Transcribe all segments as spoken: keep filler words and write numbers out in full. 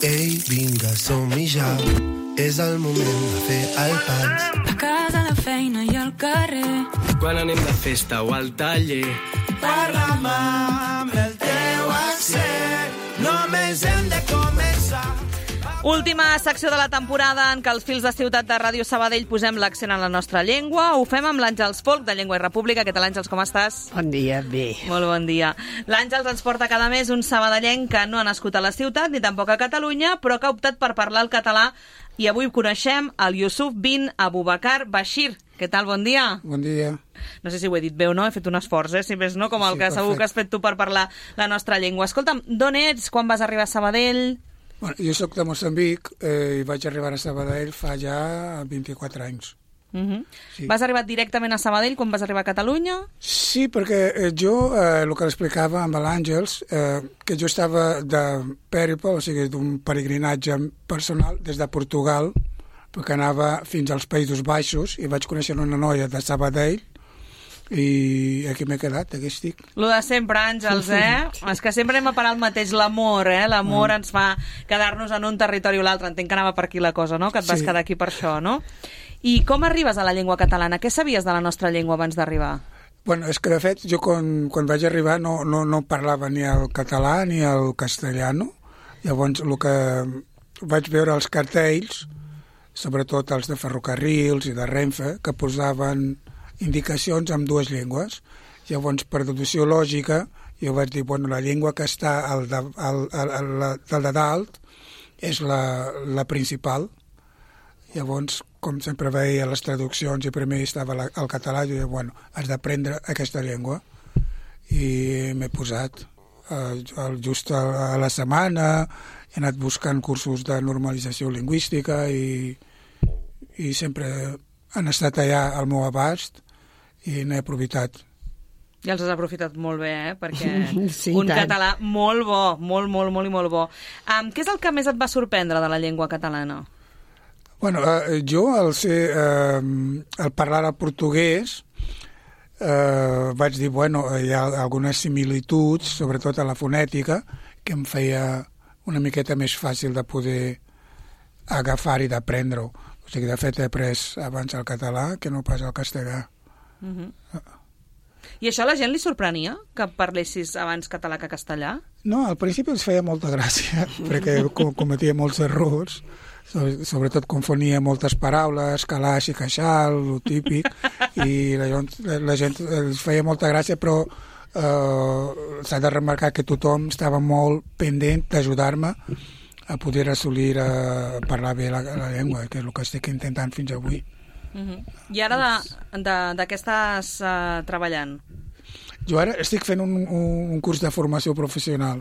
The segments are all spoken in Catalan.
Ei, vinga, som-hi ja. És el moment de fer el pas. A casa, a la feina i al carrer. Quan anem de festa o al taller. Parla'm amb el teu accent. Només hem de començar. Última secció de la temporada en què els fils de Ciutat de Ràdio Sabadell posem l'accent en la nostra llengua. Ho fem amb l'Àngels Folk, de Llengua i República. Què tal, Àngels, com estàs? Bon dia, bé. Molt bon dia. L'Àngels ens porta cada mes un sabadellenc que no ha nascut a la ciutat ni tampoc a Catalunya, però que ha optat per parlar el català. I avui coneixem el Yusuf bin Abubakar Bashir. Què tal, bon dia? Bon dia. No sé si ho he dit bé o no, he fet un esforç, eh? Si més no, com el Sí, que segur que has fet tu per parlar la nostra llengua. Escolta'm, d'on ets? Quan vas arribar a Sabadell? Bueno, jo soc de Moçambic eh, i vaig arribar a Sabadell fa ja vint-i-quatre anys. Uh-huh. Sí. Vas arribar directament a Sabadell quan vas arribar a Catalunya? Sí, perquè eh, jo, eh, el que l'explicava amb l'Àngels, eh, que jo estava de pèriple, o sigui, d'un peregrinatge personal des de Portugal, perquè anava fins als Països Baixos i vaig conèixer una noia de Sabadell i aquí m'he quedat, aquí estic. Lo de sempre, Àngels, eh? És que sempre anem a parar el mateix, l'amor, eh? L'amor mm. ens fa quedar-nos en un territori o l'altre. Entenc que anava per aquí la cosa, no? Que et vas Sí. quedar aquí per això, no? I com arribes a la llengua catalana? Què sabies de la nostra llengua abans d'arribar? Bueno, és que de fet jo quan, quan vaig arribar no, no, no parlava ni el català ni el castellano. Llavors el que vaig veure els cartells, sobretot els de ferrocarrils i de Renfe, que posaven indicacions en dues llengües. Llavors, per deducció lògica, jo vaig dir, bueno, la llengua que està al de, al, al, al, al de dalt és la, la principal. Llavors, com sempre veia les traduccions i primer estava la, el català, jo deia, bueno, has d'aprendre aquesta llengua. I m'he posat eh, just a, a la setmana, he anat buscant cursos de normalització lingüística i, i sempre han estat allà al meu abast i n'he aprofitat. Ja els has aprofitat molt bé, eh? Perquè Sí, un tant. català molt bo, molt, molt, molt i molt bo. Um, què és el que més et va sorprendre de la llengua catalana? Bueno, eh, jo al ser, eh, al parlar el portuguès eh, vaig dir, bueno, hi ha algunes similituds, sobretot a la fonètica, que em feia una miqueta més fàcil de poder agafar i d'aprendre-ho. O sigui, de fet, he après abans el català que no pas el castellà. Uh-huh. I això a la gent li sorprenia, que parlessis abans català que castellà? No, al principi els feia molta gràcia, perquè com, cometia molts errors, sobretot confonia moltes paraules, calaix i queixal, el típic, i la, la gent els feia molta gràcia, però eh, s'ha de remarcar que tothom estava molt pendent d'ajudar-me a poder assolir a parlar bé la, la llengua, que és el que estic intentant fins avui. Uh-huh. I ara de, de, de què estàs uh, treballant? Jo ara estic fent un, un, un curs de formació professional.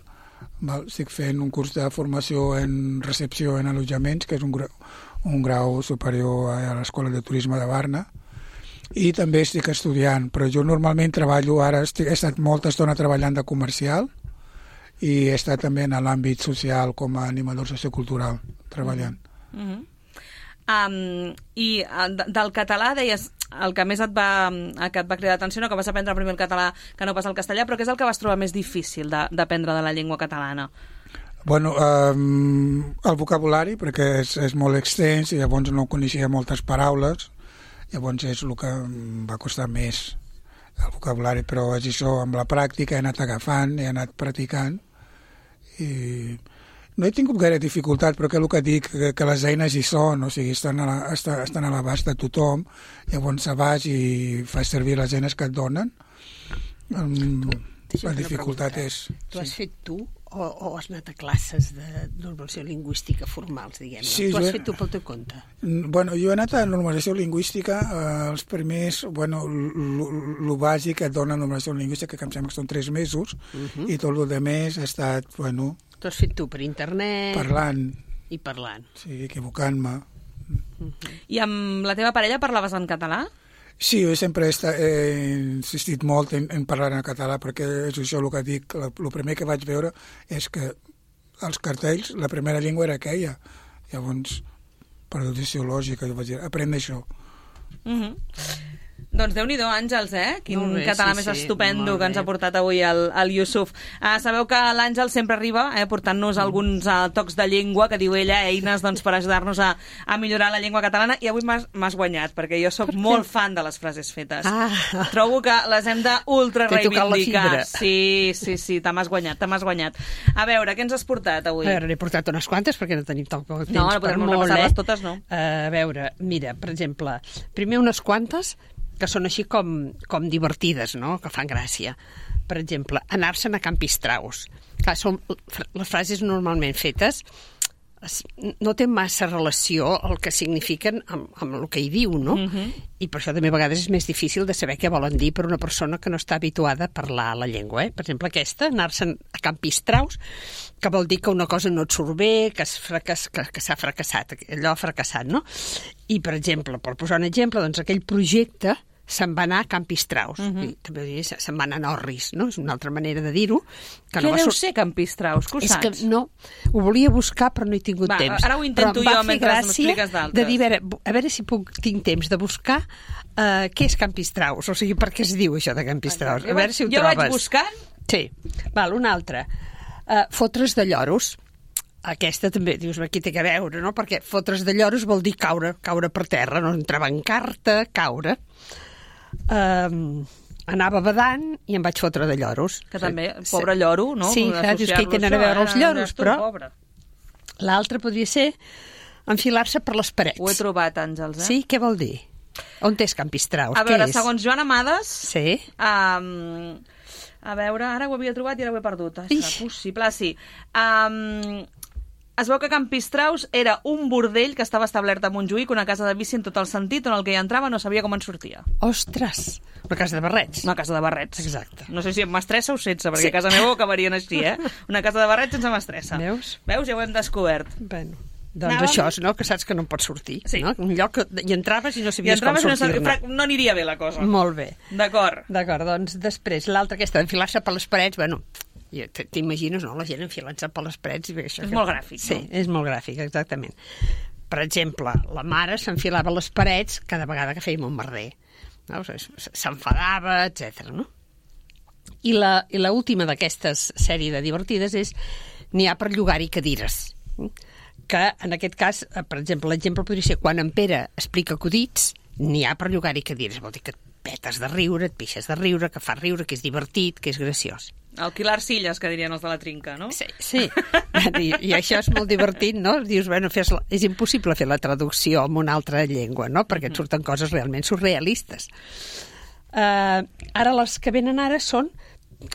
Val? Estic fent un curs de formació en recepció en allotjaments, que és un grau, un grau superior a l'Escola de Turisme de Barna, i també estic estudiant, però jo normalment treballo, ara estic, he estat molta estona treballant de comercial i he estat també en l'àmbit social com a animador sociocultural treballant. Uh-huh. Um, I de, del català deies el que més et va, que et va cridar l'atenció, no, que vas aprendre primer el català que no pas el castellà, però què és el que vas trobar més difícil d'aprendre de, de la llengua catalana? Bueno, um, el vocabulari, perquè és, és molt extens i llavors no coneixia moltes paraules, llavors és el que em va costar més el vocabulari, però és això, amb la pràctica he anat agafant, he anat practicant i no he tingut gaire dificultat, però que el que dic, que, que les eines hi són, o sigui, estan a, la, estan, estan a l'abast de tothom, llavors vas i fas servir les eines que et donen. Um, la dificultat és... Tu has sí. fet tu o, o has anat a classes de normalització lingüística formals, diguem-ne? Sí, tu has jo... fet tu pel teu compte? Bueno, jo he anat a normalització lingüística, eh, els primers, bueno, el bàsic que et dona normalització lingüística, que em sembla que són tres mesos, uh-huh. i tot el de més ha estat, bueno... Tu has fet tu per internet... Parlant. I parlant. Sí, equivocant-me. Uh-huh. I amb la teva parella parlaves en català? Sí, jo sempre he, estat, he insistit molt en, en parlar en català, perquè és això el que dic. El primer que vaig veure és que els cartells, la primera llengua era aquella. Llavors, per deducció lògica, jo vaig dir, aprèn això. Uh-huh. Doncs Déu-n'hi-do, Àngels, eh? Quin Molt bé, català sí, més sí, estupendo molt que ens bé. ha portat avui el, el Yusuf. Uh, sabeu que l'Àngel sempre arriba eh, portant-nos alguns uh, tocs de llengua, que diu ella, eines doncs, per ajudar-nos a, a millorar la llengua catalana, i avui m'has m'has guanyat, perquè jo sóc molt fan de les frases fetes. Ah. Trobo que les hem d'ultra T'he tocat la reivindicar. fibra. Sí, sí, sí, te m'has guanyat, te m'has guanyat. A veure, què ens has portat avui? A veure, n'he portat unes quantes perquè no tenim tant poc temps No, no per podem molt, repassar-les eh? totes, no. A veure, mira, per exemple, primer unes quantes que són així com, com divertides, no?, que fan gràcia. Per exemple, anar-se'n a Can Pistraus. Clar, són les frases normalment fetes, no té massa relació el que signifiquen amb, amb el que hi diu, no? Uh-huh. I per això també a vegades és més difícil de saber què volen dir per una persona que no està habituada a parlar la llengua. Eh? Per exemple, aquesta, anar-se'n a Can Pistraus, que vol dir que una cosa no et surt bé, que, fracas, que, que s'ha fracassat, allò ha fracassat, no? I, per exemple, per posar un exemple, doncs aquell projecte se'n va anar a Can Pistraus. Uh-huh. I també diria, se'n va anar a Norris, no? És una altra manera de dir-ho. Què no deu ser Can Pistraus? Que ho és saps? que no, ho volia buscar però no he tingut va, temps. Ara ho intento jo mentre m'expliques d'altres. De dir, a veure, a veure si puc, tinc temps de buscar uh, què és Can Pistraus, o sigui, per què es diu això de Can Pistraus. A veure si ho jo trobes. Jo vaig buscant? Sí. Val, una altra. Uh, fotre's de lloros. Aquesta també, dius, aquí té que veure, no? Perquè fotre's de lloros vol dir caure, caure per terra, no? Entrebancar-te, caure. Um, anava badant i em vaig fotre de lloros. Que també, pobre lloro, no? Sí, clar, dius que hi tenen a veure els lloros, però pobre. L'altre podria ser enfilar-se per les parets. Ho he trobat, Àngels, eh? Sí, què vol dir? On és Can Pistraus? A veure, què és? segons Joan Amades... Sí. Um, a veure, ara ho havia trobat i ara ho he perdut. Ah, serà possible, ah, sí. Um, es veu que Can Pistraus era un bordell que estava establert a Montjuïc, una casa de vici en tot el sentit, on el que hi entrava no sabia com en sortia. Ostres, una casa de barrets. Una casa de barrets. Exacte. No sé si amb mestressa o sense, perquè Sí. a casa meva ho acabarien així, eh? Una casa de barrets sense mestressa. Veus? Veus? Ja ho hem descobert. Bueno, doncs Anàvem... això, no? Que saps que no pots sortir. Sí. No? Un lloc que hi entraves i no I sabies com entraves i no, sortir-ne. sab... no aniria bé la cosa. Molt bé. D'acord. D'acord, doncs després, l'altra aquesta, enfilar-se per les parets, bueno, t'imagines, no?, la gent enfilant-se per les parets. I bé, això És que... molt gràfic, Sí, no? és molt gràfic, exactament. Per exemple, la mare s'enfilava a les parets cada vegada que fèiem un merder. No? S'enfadava, etcètera. No? I la, i la última d'aquestes sèrie de divertides és n'hi ha per llogar-hi cadires. Que, en aquest cas, per exemple, l'exemple podria ser quan en Pere explica acudits, n'hi ha per llogar-hi cadires. Vol dir que et petes de riure, et pixes de riure, que fa riure, que és divertit, que és graciós. Alquilar silles, que dirien els de la trinca, no? Sí, sí. I, i això és molt divertit, no? Dius, bueno, fes la... és impossible fer la traducció en una altra llengua, no? Perquè et surten coses realment surrealistes. Uh, ara, les que venen ara són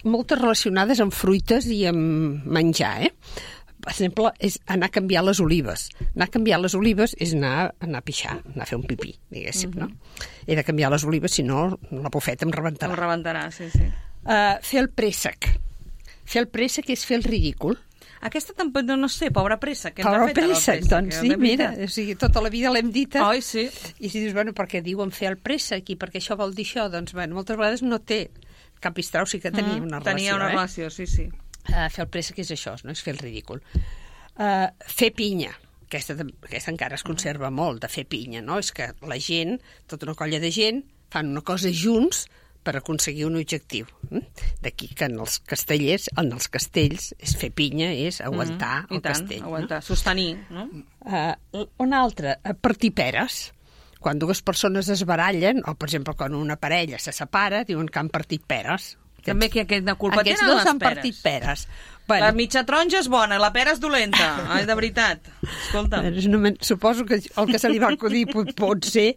moltes relacionades amb fruites i amb menjar, eh? Per exemple, és anar a canviar les olives. Anar a canviar les olives és anar, anar a pixar, anar a fer un pipí, diguéssim, uh-huh. no? He de canviar les olives, si no, la bufeta em rebentarà. Em rebentarà, sí, sí. Uh, fer el préssec. Fer el préssec és fer el ridícul. Aquesta tampoc, no, no sé, pobra pressa. Que Pobre préssec, préssec, doncs sí, mira, o sigui, tota la vida l'hem dit. Oi, sí. I si dius, bueno, perquè diuen fer el préssec i perquè això vol dir això, doncs, bueno, moltes vegades no té. Cap Pistraus sí que tenia mm, una relació, Tenia una eh? relació, sí, sí. Uh, fer el préssec és això, no? És fer el ridícul. Uh, fer pinya. Aquesta, aquesta encara es conserva molt, de fer pinya, no? És que la gent, tota una colla de gent, fan una cosa junts per aconseguir un objectiu. D'aquí que en els castellers, en els castells, és fer pinya, és aguantar mm, el tant, castell. Aguantar, no? sostenir, no? Uh, una altra, partir peres. Quan dues persones es barallen, o per exemple quan una parella se separa, diuen que han partit peres. També que aquesta culpa Aquests tenen dos les han peres. partit peres. Bueno, La mitja taronja és bona, la pera és dolenta. Ai, de veritat. Escolta. suposo que el que se li va acudir pot, pot ser,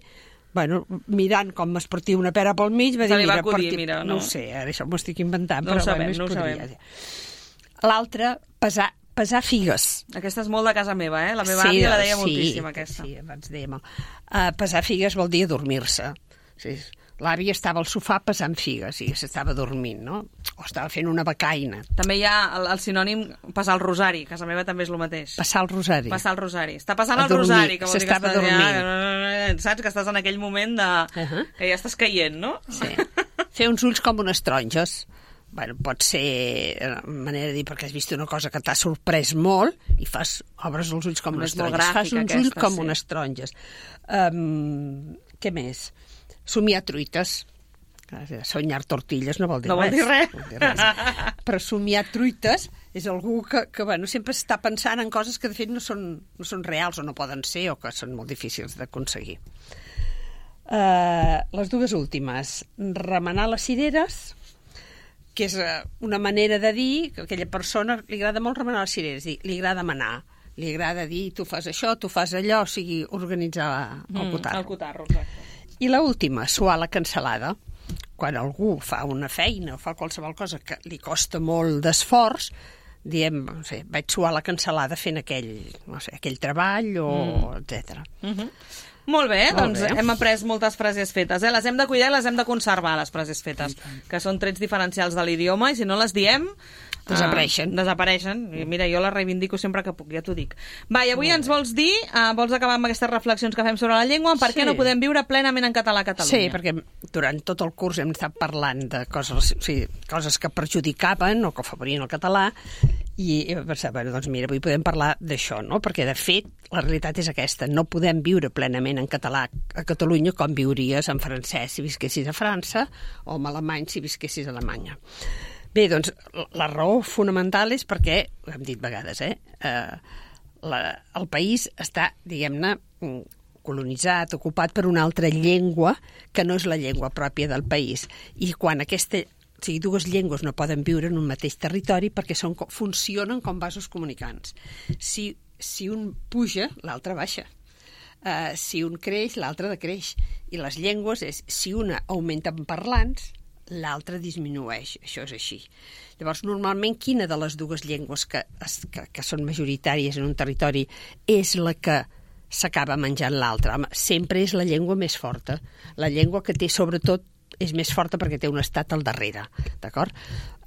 bueno, mirant com es partia una pera pel mig, va dir, Se li va mira, acudir, partir... mira, no. no. no ho sé, ara això m'ho estic inventant, No ho però sabem, bueno, es no ho podria. sabem. L'altre, pesar, pesar figues. Aquesta és molt de casa meva, eh? La meva àvia la deia sí, moltíssim, aquesta. Sí, abans dèiem. Uh, pesar figues vol dir adormir-se. Sí, l'àvia estava al sofà pesant figues i s'estava dormint, no? O estava fent una becaina. També hi ha el, el sinònim passar el rosari. A casa meva també és el mateix. Passar el rosari. Passar el rosari. Està passant A el dormir. rosari, que vol dir que S'estava estàs, dormint. ja, saps? Que estàs en aquell moment de... Uh-huh. que ja estàs caient, no? Sí. Fer uns ulls com unes taronges. Bueno, pot ser una manera de dir perquè has vist una cosa que t'ha sorprès molt i fas, obres els ulls com És unes molt taronges. Fas gràfica uns aquesta, ulls com sí. unes taronges. Um, què més? somiar truites. Soñar tortilles no vol dir no res. Vol dir res. No vol dir res. Però somiar truites és algú que, que bueno, sempre està pensant en coses que de fet no són, no són reals o no poden ser o que són molt difícils d'aconseguir. Uh, les dues últimes. Remenar les cireres, que és una manera de dir que a aquella persona li agrada molt remenar les cireres, li agrada manar, li agrada dir tu fas això, tu fas allò, o sigui, organitzar el cotarro. Mm, el cotarro, exacte. I l'última, suar la cansalada. Quan algú fa una feina o fa qualsevol cosa que li costa molt d'esforç, diem, no sé, vaig suar la cansalada fent aquell, no sé, aquell treball o mm. etcètera. Mm-hmm. Molt bé, molt doncs bé. Hem après moltes frases fetes. Eh? Les hem de cuidar i les hem de conservar, les frases fetes, que són trets diferencials de l'idioma, i si no les diem... Desapareixen. Uh, desapareixen. I mira, jo les reivindico sempre que puc, ja t'ho dic. Va, i avui ens vols dir, uh, vols acabar amb aquestes reflexions que fem sobre la llengua, per sí. què no podem viure plenament en català a Catalunya? Sí, perquè durant tot el curs hem estat parlant de coses, o sigui, coses que perjudicaven o que afavorien el català, i pensar, bueno, doncs mira, avui podem parlar d'això, no? Perquè de fet la realitat és aquesta, no podem viure plenament en català a Catalunya com viuries en francès si visquessis a França o en alemany si visquessis a Alemanya. Bé, doncs, la raó fonamental és perquè, ho hem dit vegades, eh, eh la, el país està, diguem-ne, colonitzat, ocupat per una altra llengua que no és la llengua pròpia del país. I quan aquesta, o sigui, dues llengües no poden viure en un mateix territori perquè són, funcionen com vasos comunicants. Si, si un puja, l'altre baixa. Uh, si un creix, l'altre decreix. I les llengües és, si una augmenta en parlants, l'altre disminueix, això és així. Llavors, normalment, quina de les dues llengües que, que, que són majoritàries en un territori és la que s'acaba menjant l'altra? Sempre és la llengua més forta. La llengua que té, sobretot, és més forta perquè té un estat al darrere, d'acord?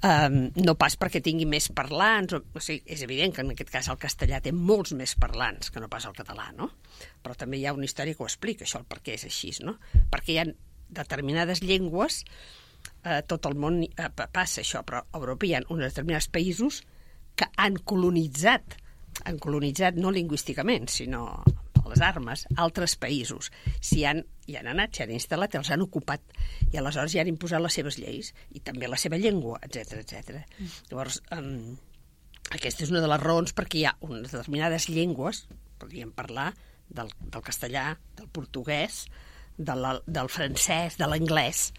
Um, no pas perquè tingui més parlants, o, o sigui, és evident que en aquest cas el castellà té molts més parlants que no pas el català, no? Però també hi ha una història que ho explica, això, el per què és així, no? Perquè hi ha determinades llengües, eh, tot el món eh, passa això, però a Europa hi ha uns determinats països que han colonitzat, han colonitzat no lingüísticament, sinó a les armes, altres països. Si han, hi han anat, s'hi han instal·lat, els han ocupat, i aleshores hi han imposat les seves lleis, i també la seva llengua, etcètera, etcètera. Mm. Llavors, um, aquesta és una de les raons perquè hi ha unes determinades llengües, podríem parlar del, del castellà, del portuguès, de la, del francès, de l'anglès,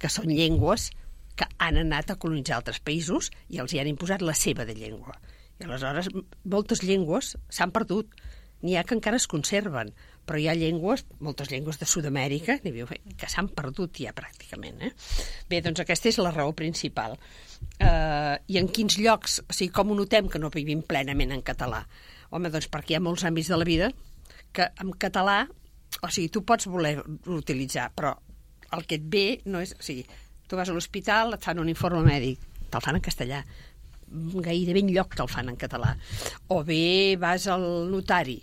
que són llengües que han anat a colonitzar altres països i els hi han imposat la seva de llengua. I aleshores moltes llengües s'han perdut. N'hi ha que encara es conserven, però hi ha llengües, moltes llengües de Sud-amèrica, que s'han perdut ja pràcticament. Eh? Bé, doncs aquesta és la raó principal. Uh, I en quins llocs, o sigui, com ho notem que no vivim plenament en català? Home, doncs perquè hi ha molts àmbits de la vida que en català, o sigui, tu pots voler utilitzar, però el que et ve no és... O sigui, tu vas a l'hospital, et fan un informe mèdic, te'l fan en castellà. Gairebé enlloc te'l fan en català. O bé vas al notari.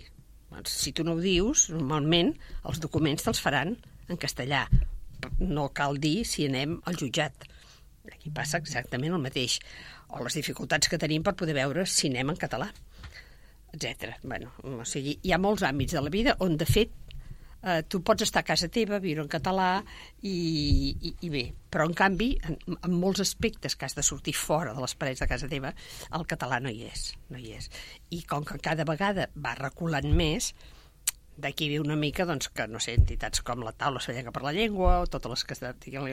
Si tu no ho dius, normalment els documents te'ls faran en castellà. No cal dir si anem al jutjat. Aquí passa exactament el mateix. O les dificultats que tenim per poder veure si anem en català, etcètera. Bueno, o sigui, hi ha molts àmbits de la vida on, de fet, eh, tu pots estar a casa teva, viure en català i, i, i bé. Però, en canvi, en, en molts aspectes que has de sortir fora de les parets de casa teva, el català no hi és. No hi és. I com que cada vegada va reculant més, d'aquí ve una mica, doncs, que, no sé, entitats com la Taula Sorrenca per la Llengua o totes les que estem,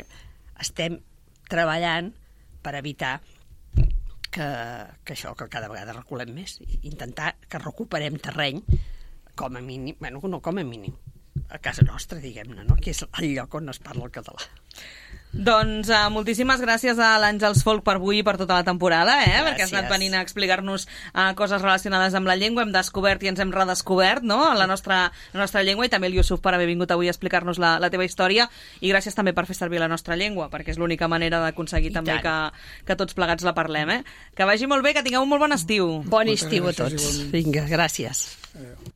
estem treballant per evitar que, que això, que cada vegada reculem més, i intentar que recuperem terreny com a mínim, bueno, no com a mínim, a casa nostra, diguem-ne, no? Que és el lloc on es parla el català. Doncs uh, moltíssimes gràcies a l'Àngels Folk per avui i per tota la temporada, eh? Gràcies. Perquè has anat venint a explicar-nos uh, coses relacionades amb la llengua, hem descobert i ens hem redescobert, no?, la nostra, la nostra llengua, i també el Yusuf per haver vingut avui a explicar-nos la, la teva història, i gràcies també per fer servir la nostra llengua, perquè és l'única manera d'aconseguir també que, que tots plegats la parlem, eh? Que vagi molt bé, que tingueu un molt bon estiu. Bon estiu a tots. Vinga, gràcies. Adéu.